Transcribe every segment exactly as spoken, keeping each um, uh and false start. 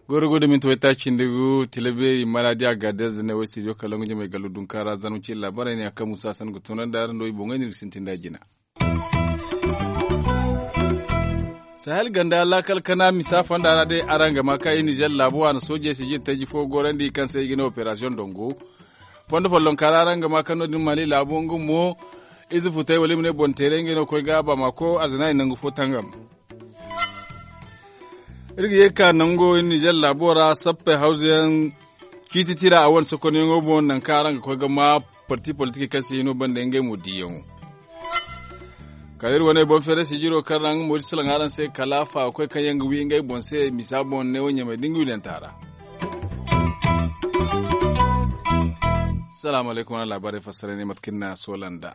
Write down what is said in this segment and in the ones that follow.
Goro go da minti waytaaci nda gu tila beeri maraadi a ga da zane way studio kalangu jama ay gallo dunka ra zarma ci laabaray ne a kaŋ musa san ga tunandi a ra no i boŋey no iri ga sintin da jina. Sahel ganda laakal kana misa fonda ra day araŋ ga ma ka i nizer laabu a na soojey sijir taji fo gorandi kaŋ se i ga ne operasiyoŋ dongo. Fondo follonka ra araŋ ga ma ka no- din mali laabu nga mo ize futay wala i ma ne boŋ teeray ngey no ga koy ga bamako arzina i nangu fo tangam. Iri ga ye ga ka nango nizer laabo ra sappey hawza yaŋ ciiti tira a wane sokonyaŋo boŋ nangu kaŋ araŋ ga koy ga ma parti politik kaŋ se hino banda ngey mo diyaŋo. Kala iri wane boŋ feeray sijiro kaŋ ra nga mo iri salaŋ araŋ se kala faakoy kaŋ yaŋ ga wi ngey boŋ se misa boŋ neewo ɲamay da nga wilanta ra. Salaamu alaykum wane laabaarey fassaray ne mate kaŋ ni na a soola nd'a.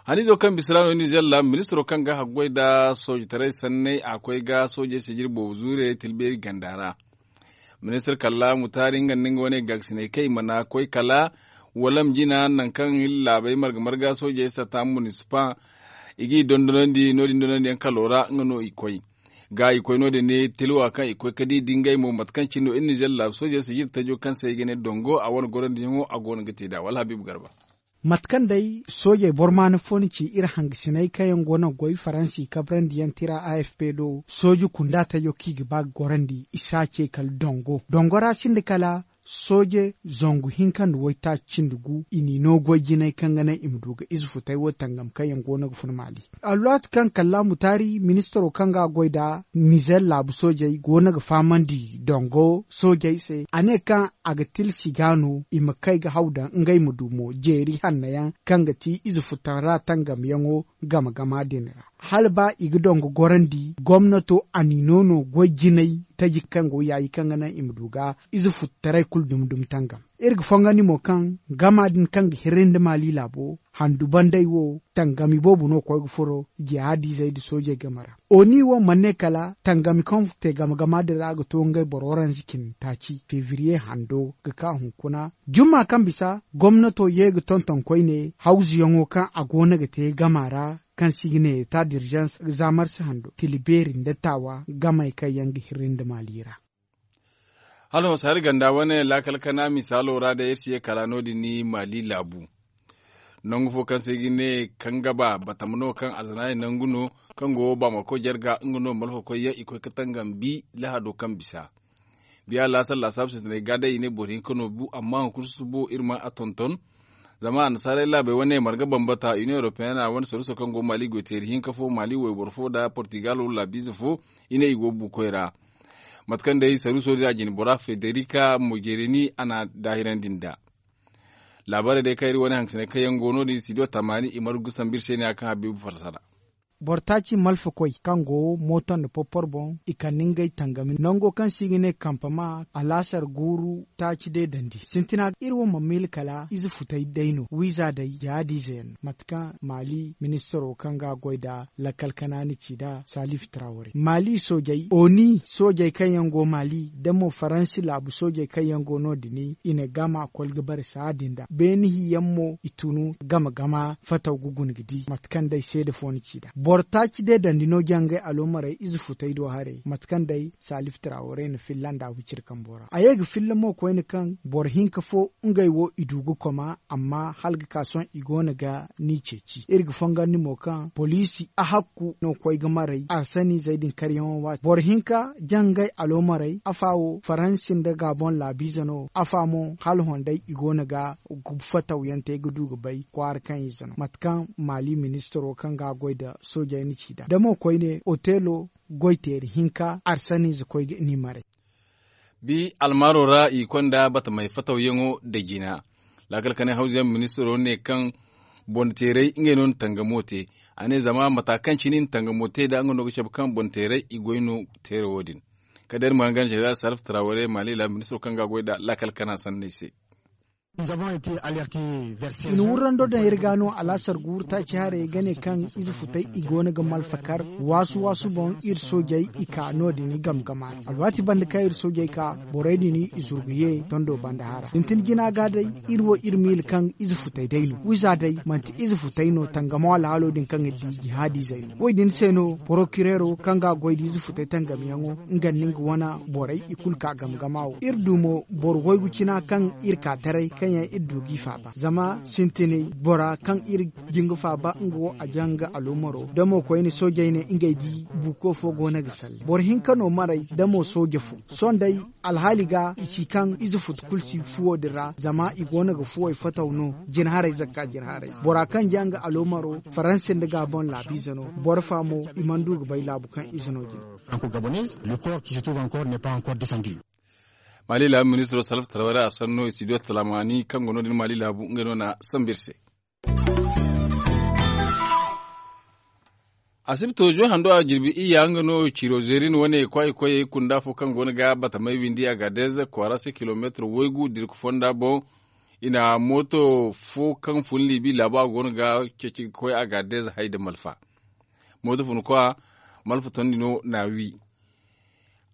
Haniizo kaŋ bisa ra no nizer laabu ministiro kaŋ ga haggoy nda soojitaray sanney a koy ga soojey sijir boobo zuure tilbeeri ganda ra. Ministir kalla mutaari nga nda nga wane gaakasinay kaŋ i mana koy kala walam jina nangu kaŋ laabey marga marga soojey sata munisipa i g'i dondonandi no- din dondonandiyaŋ kalo ra nga no i koy ga i koy no- din ne tilwa kaŋ i koy ga di da ngey mo mate kaŋ cine no iri nizer laabu soojey sijir tajo kaŋ se i ga ne dongo a wane gorandiyaŋo a go no ga te nd'a wala habiibu garba. Mate kaŋ day soojey boro maana fo ni ci iri hangasiney kaŋ yaŋ go no ga goy faransi kabrandiyaŋ tira a f p do sooji kunda tajo kaŋ i ga ba ga gorandi i si a ce kala dongo dongo ra sinda kala sooje zangu hinka nda waytaaci cindi gu i n'i no goy jinay kaŋ ga naŋ i ma du ga ize futay wo tangam kaŋ yaŋ go no ga fun maali. Alwaati kaŋ kalla mutaari ministiro kaŋ ga a goy nda nizer laabu soojey go no ga fahamandi dongo soojey se a ne kaŋ a ga tilsi ga no i ma kay ga haw daŋ ngey ma du mo jeeri hanno yaŋ kaŋ ga ti ize futan ra tangamyaŋo game gama din ra hala ba i ga dongo gorandi gomnato a n'i no no goy jinay taji kaŋ go yaayi kaŋ ga naŋ i ma du ga ize futtaray kulu dumi dumi tangam. Iri ga fongandi mo kaŋ gama din kaŋ ga hirri nda maali laabo handu banday wo tangami boobo no koy ga furo jihaadizey nda soojey game ra. Oni wo mana ne kala tangami kaŋ te game gama din ra ga to ngey boro waranza cindi taaci febriye hando ga ka hunkuna jumma kaŋ bisa gomnato ye ga tonton koyne hawzuyaŋo kaŋ a go no ga te gama ra kaŋ se i ga ne eta dirzans za marsi hando tila beeri nda taawa gamey kaŋ yaŋ ga hirri nda maali ra. Hala no saari ganda wane laakal kana misaalo ra day iri si ye kala no- din ni maali laabu. Nangu fo kaŋ se i ga ne kangaba batama no kaŋ alzanaari nangu no kaŋ go baamako jarga nga no malfakoy yaŋ i koy ga tangambi lahado kaŋ bisa. Biya laasar laasaabu sintinay ga day i ne boro hinka no bu amma hunkuna susubo iri ma a tonton. Zama annasaarey laabey wane marga bambata union europeyana wane saruuso kaŋ go maali goyteeri hinka fo maali wayboro fo nda portigalo laabiize fo i ne i go buukoy ra. Mate kaŋ day saruuso din a jine bora federika mogerini a na daahirandi nd'a. Laabaarey day kaŋ iri wane hangasiney kaŋ yaŋ go no- din studio tamaani i margu ga sambu iri se ne ya kaŋ habiibu farsara. Boro taaci malfakoy kaŋ go mooto nda porpor boŋ i kande ngey tangami nango kaŋ se i ga ne kampama alaasar guuru taaci deedandi sintina iri wo ma miila kala ize futay day no wiiza day jihaadiize yaŋ no mate kaŋ maali ministiro kaŋ ga a goy nda lakkal kanaani ci nd'a salif trawre maali soojey oni soojey kaŋ yaŋ go maali nda mo faransi laabu soojey kaŋ yaŋ go no- din i na gama koli ga bare saadi nda beene hiyaŋ mo i tunu game gama fataw ga guna ga di mate kaŋ day seede fo ni ci nd'a boro taaci deedandi no jangay aloomarey ize futay do haray mate kaŋ day salif trawre na filla nda huciri kambo ra a ye ga filla mo koyne kaŋ boro hinka fo ngey wo i du ga koma amma hala ga ka sohõ i go no ga ni ceeci iri ga fongandi mo kaŋ poliisi ahakku no koy ga maray arsaniizey din karyaŋo waati boro hinka jangay aloomarey afa wo faransi nda gaboŋ laabiize no afa mo hala honday i go no ga fataw yaŋ te ga du ga bay kwaara kaŋ ize no mate kaŋ maali ministiro kaŋ ga a goy nda soojey na ci nd'a da mo koyne otelo goyteeri hinka arsaniize koy ga ni maray. Bi almaaro ra i konda batamey fatawyaŋo da jina laakal kanay hawzuyaŋ ministiro ne kaŋ boŋ teeray ngey no na tangamo te a ne zama mata kaŋ cine i na tangamo te nd'a nga no ga cabe kaŋ boŋ teeray i goy no teera wo- din. Kala day iri ma hangan zeneral salif trawre maali laabu ministiro kaŋ ga a goy nd'a laakal kana sanney se. I na wurrando daŋ iri ga no alaasar guuru taaci haray ga ne kaŋ ize futay i go no ga malfa kar waasu waasu boŋ iri soojey i ka no- din i game game a ra alwaati banda kaŋ iri soojey ka borey din i zurgu ye tondo banda hara sintin jina ga day. Iri wo iri miila kaŋ ize futay day no wiiza day manti ize futay no tangamo alhaalo din kaŋ iri di jihaadizey no wo- din se no porokireero kaŋ ga a goy da ize futay tangamyaŋo nga nda nga wane borey i kulu ka game game a wo iri du mo boro waygu cina kaŋ iri ka taray kaŋ yaŋ iri du g'i faaba zama sintinay bora kaŋ iri jin ga faaba nga wo a jaŋ nga aloomaro da mo koyne soojey ne ngey di buuko fo go no ga salle boro hinka no maray da mo sooje fo sohõ day alhaali ga i ci kaŋ ize futu kulu si fuwo din ra zama i go no ga fuwey fataw no jina haray zakka jina haray bora kaŋ jaŋ nga aloomaro faransi nda gaabon laabiize no boro fa mo i mana du ga bay laabu kaŋ ize no jina. Maali laabu ministiro salfa tarawey ra a sanno i si du talaamaani kaŋ go no- din maali laabu ngey no na sambu iri se. Asibto zo hando a jirbi iyya nga no ciro zeerin wane kwaayi koyey kunda fo kaŋ go no ga batamey windi a ga deeza kwaara se kilomeetir waygu dirku fonda boŋ. I na mooto fo kaŋ fun liibi laabu a go no ga ceeci ga koy a ga deeza hay nda malfa. Mooto fun kwa malfa tondi no na wi.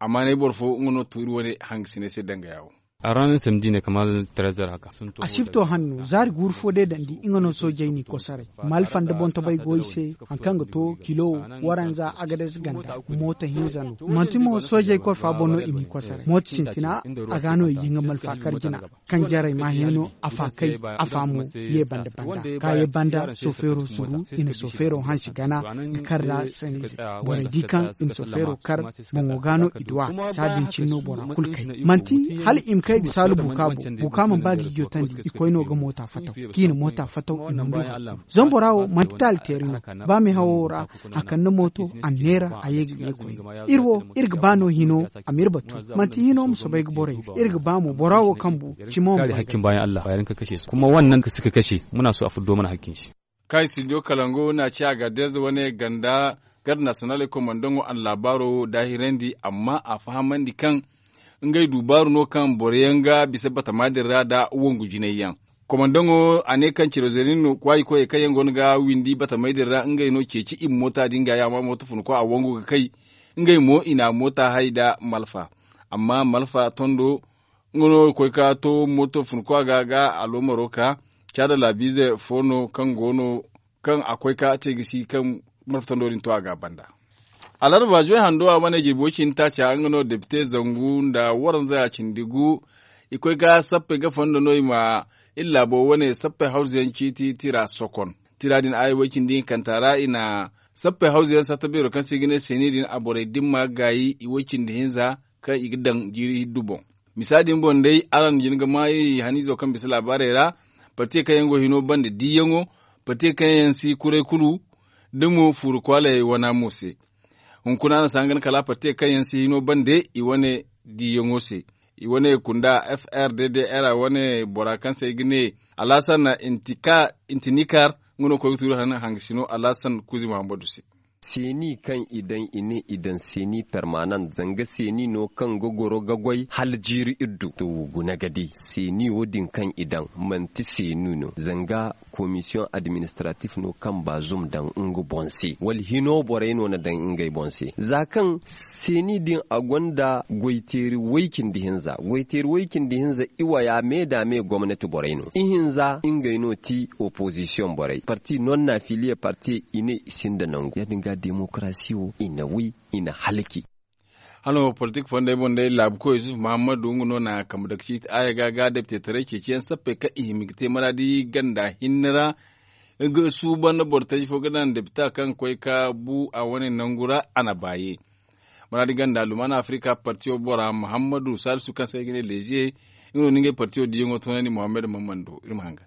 Amma ne boro fo nga no tuuri wane hangasinay se danga yaawo. A ranar samedi ne kamar trezor haka. Asibto hanno zaari guuru fo day dandi nga no soojey n'i kosaray malfa nda boŋ tabay go i se. Hari kaŋ ga to kilo waranza agades ganda mooto hinza no manti mo soojey korfa boŋ no i n'i kosaray mooto sintina. A ga no i ye nga malfa kar jina kaŋ jarey ma hẽ no a fa kay a fa mo ye banda banda ka ye banda sofeero suru i na sofeero hansi gana ga kar ra sanniize borey di kaŋ i na sofeero kar boŋo ga no i du a. Saadin cine no bora kulu kay manti hala i ma kay ga saalu buka boŋ buka mana ba ga i jotandi i koy no ga moota fataw kaŋ i na moota fataw i mana du hari kulu zama bora wo manti taali teeri no. Ba meehawo ra a kande mooto a neera a ye ga ye koy iri wo iri ga ba no hino a ma iri batu manti hino ma soobay ga borey iri ga ba mo bora wo kaŋ bu cimo ma ba. Kaŋ i si ga kashe muna so a fuddo mana hakkin se. Kaŋ i si diyo kalango na ci a ga deeza wane ganda garda nasiyonaaley komandaŋo a na laabaaro daahirandi amma a fahamandi kaŋ ngey du baaru no kaŋ boro yaŋ ga bisa batama din ra nda wangu jinay yaŋ. Komandaŋo a ne kaŋ ciro zeerin no kwaayi koyey kaŋ yaŋ go no ga windi batamey din ra ngey no ceeci i ma moota din ga yaama mooto funa kwa a wangu ga kay. Ngey mo i na moota hay nda malfa amma malfa tondo nga no ga koy ga to mooto funa kwa ga ga aloomaro ka caada laabiize fo no kaŋ go no kaŋ a koy ka te ga si kaŋ marfatando din to a ga a banda. Alarba zuway hando a wane jirbi way cindi taaca nga no depite zangu nda waranza cindi gu. I koy ka sappey ga fondo no i ma iri laabo wane sappey hawzuyaŋ ciiti tira sokon. Tira din aya way cindi hinkanta ra i na sappey hawzuyaŋ satta beero kaŋ se i ga ne seeni din a borey dimma gaayi i way cindi hinza kaŋ i ga daŋ jiiri hiddu boŋ. Misa din boŋ day araŋ jin ga maa iri haniizo kaŋ bisa laabaarey ra. Partiye kaŋ yaŋ go hino banda diiyaŋo partiye kaŋ yaŋ si kuray kulu da mo fuuru kwaaley wana mo se. Hunkuna araŋ si hangan kala partiye kaŋ yaŋ si hino bande i wane diiyaŋo se. I wane kunda frdr wane bora kaŋ se ay ga ne alhasan intinikar nga no koy ga tuuri hangasino alhasan kuuzi muhammadu se. Seeni kaŋ i daŋ i ne i daŋ seeni permanent zanga seeni no kaŋ ga goro ga goy hala jiiri iddu to guna ga di seeni wo- din kaŋ i daŋ manti seeni no zanga komisiyoŋ administratif no kaŋ baazum daŋ nga boŋ se wala hino borey no na daŋ ngey boŋ se za kaŋ seeni din a gonda goyteeri way- cindi hinza goyteeri way- cindi hinza iwaya me da me gomnati borey no ihinza ngey no ti opozisiyoŋ borey parti non na filiye parti i ne i sinda nangu ya- din ga demokarasi wo i na wi i na halki. Hano politik fondey boŋ day laabukoy yusuf muhammadu nga no na kambe dake ciiti aya ga ga depite taray ceeciyaŋ sappey kaŋ i hima ga te maraadi ganda hinne ra. Nga suuban bortaji fo ga daŋ depita kaŋ koy ka bu a wane nangu ra a na baaye. Maraadi ganda lumana afrika partiyo bora muhammadu salisu kaŋ se ay ga ne leziye nga no ni ngey partiyo diyaŋo toonandi muhammadu mammando iri ma hangan.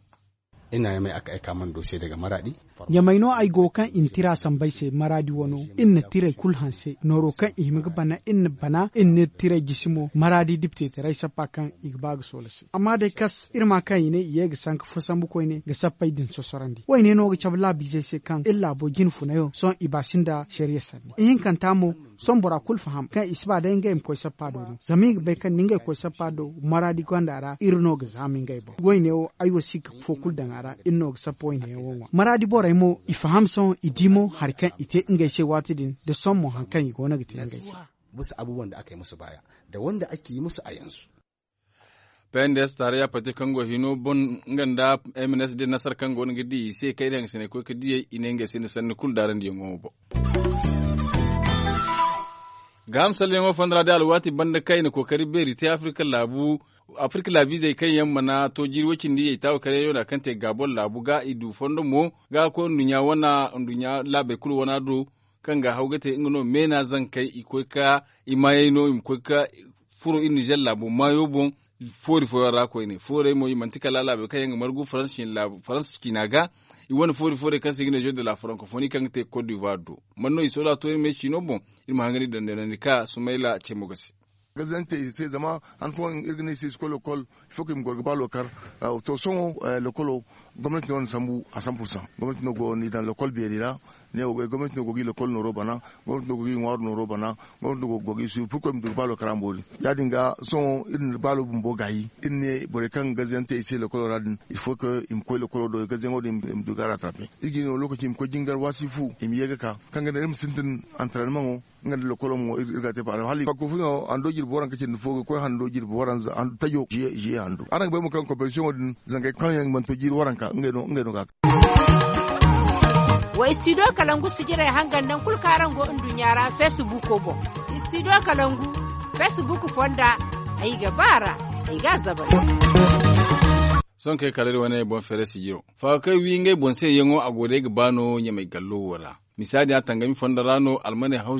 Iri na ɲamay a ka ay ka mana doose daga maraadi. Ɲamay no ay go kaŋ i na tira samba ay se maraadi wano. Iri na tirey kulu hanse nooro kaŋ i hima ga bana iri na bana iri na tirey jisi mo maraadi dipiteetaray sappa kaŋ i ga ba ga soola se. Amma day kas iri ma kaŋ i ne i ye ga sanka fo sambu koyne ga sappey din sosorandi woyne no ga cabe laabiizey se kaŋ iri laabo jine funayo sohõ i ba sinda sariya sanni ihinkanta mo. Sohõ bora kulu faham kaŋ i si ba day ngey ma koy sappa do no zama i ga bay kaŋ da ngey koy sappa do maraadi gonda ra iri no ga zaama ngey boŋ. Woyne wo ay wo si ga fo kulu daŋ a ra iri no ga sappa woyne yaŋ wo ŋwa maraadi borey mo i faham sohõ i di mo hari kaŋ i te ngey se waati din da sohõ mo hari kaŋ i go no ga te ngey se. Bisa abubuwan da aka yi musu baaya da wanda ake yi musu a yanzu. P n d s taarayya pati kaŋ go hino boŋ nga nda m n s d nasara kaŋ go no ga di i se kaŋ iri hangasiney koy ga diyey i ne ngey se ni sanni kulu daarandiyaŋo boŋ. Gaaham salleyaŋo fonda ra day alwaati banda kaŋ i na kookari beeri te afirka laabu afirka laabiizey kaŋ yaŋ mana to jiiri way-cindi yaytaawo kala yaŋ no kaŋ te gaabon laabu ga i du fondo mo ga koy nduɲɲa wana nduɲɲa laabey kulu wana do kaŋ ga haw ga te nga no meena zankey i koy ga i maayey no i ma koy ga furo iri nizer laabo maayo boŋ. Foori fooyaŋ ra koyne foorey mo i manti kala laabey kaŋ yaŋ ga margu faransa ciina ga i wane foori foorey kaŋ se i ga ne jeu de la francophonie kaŋ ga te cote d'ivoire do man no i soola to iri me ciino boŋ. Iri ma hangani dandeenandi ka sumayla ce mo ga se. Gazante i se zama han fooyaŋ iri ga ne i se i si koy lokol. Ifo kaŋ i ma goro ga ba lokar to sohõ lokolo gomnati no na sambu a san pursan gomnati no go no i daŋ lokol beeri ra. Ne wo gomnati no go ga i lokol nooro bana gomnati no go ga i ŋwaaru nooro bana gomnati no go ga i suuru purkoy ma du ga ba lokar a ma boori. Ya- din ga sohõ iri na baalo bumbo gaayi iri ne borey kaŋ gazante i se lokolo ra din ifo kaŋ i ma koy lokolo do gazante din i ma du ga a ratrape. Iri ga i no lokaci i ma koy jingar waasi fu i ma ye ga ka kaŋ ga naŋ iri ma sintin antaranmaŋo. Nga nda lokolo mo iri ga te faala hala i ga koy fo no hando jirbi waranka cindi fo ga koy hando jirbi waranza tajo ziye hando araŋ ga bay mo kaŋ koperasiyoŋo din zangey kaŋ yaŋ mana to jiiri waranka ngey no ga a kay. Wa istidiyo kalangu sijirey hangan nangu kulu kaŋ araŋ go nduɲɲa ra feesibuuko boŋ. Istidiyo kalangu feesibuuko fonda ay ga ba a ra ay ga a zabari. Sohõ kaŋ ay kala iri wane boŋ feere sijiro faakakey wi ngey boŋ se yaŋo a go day ga ba no ɲamay gallo wo ra. Misa din a tangami fondo ra no almaney hawzu.